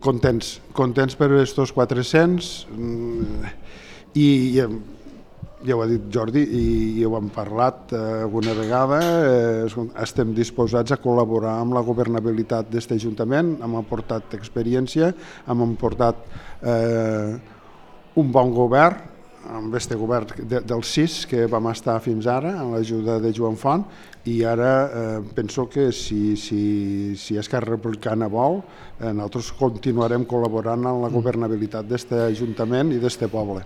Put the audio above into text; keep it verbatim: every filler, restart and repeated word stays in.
Contents, contents per estos quatre-cents i ja ho ha dit Jordi i ho hem parlat alguna vegada, estem disposats a col·laborar amb la governabilitat d'aquest Ajuntament, hem aportat experiència, hem aportat un bon govern, amb aquest govern dels sis que vam estar fins ara, amb l'ajuda de Joan Font, i ara penso que si Esquerra Republicana vol, nosaltres continuarem col·laborant amb la governabilitat d'aquest Ajuntament i d'aquest poble.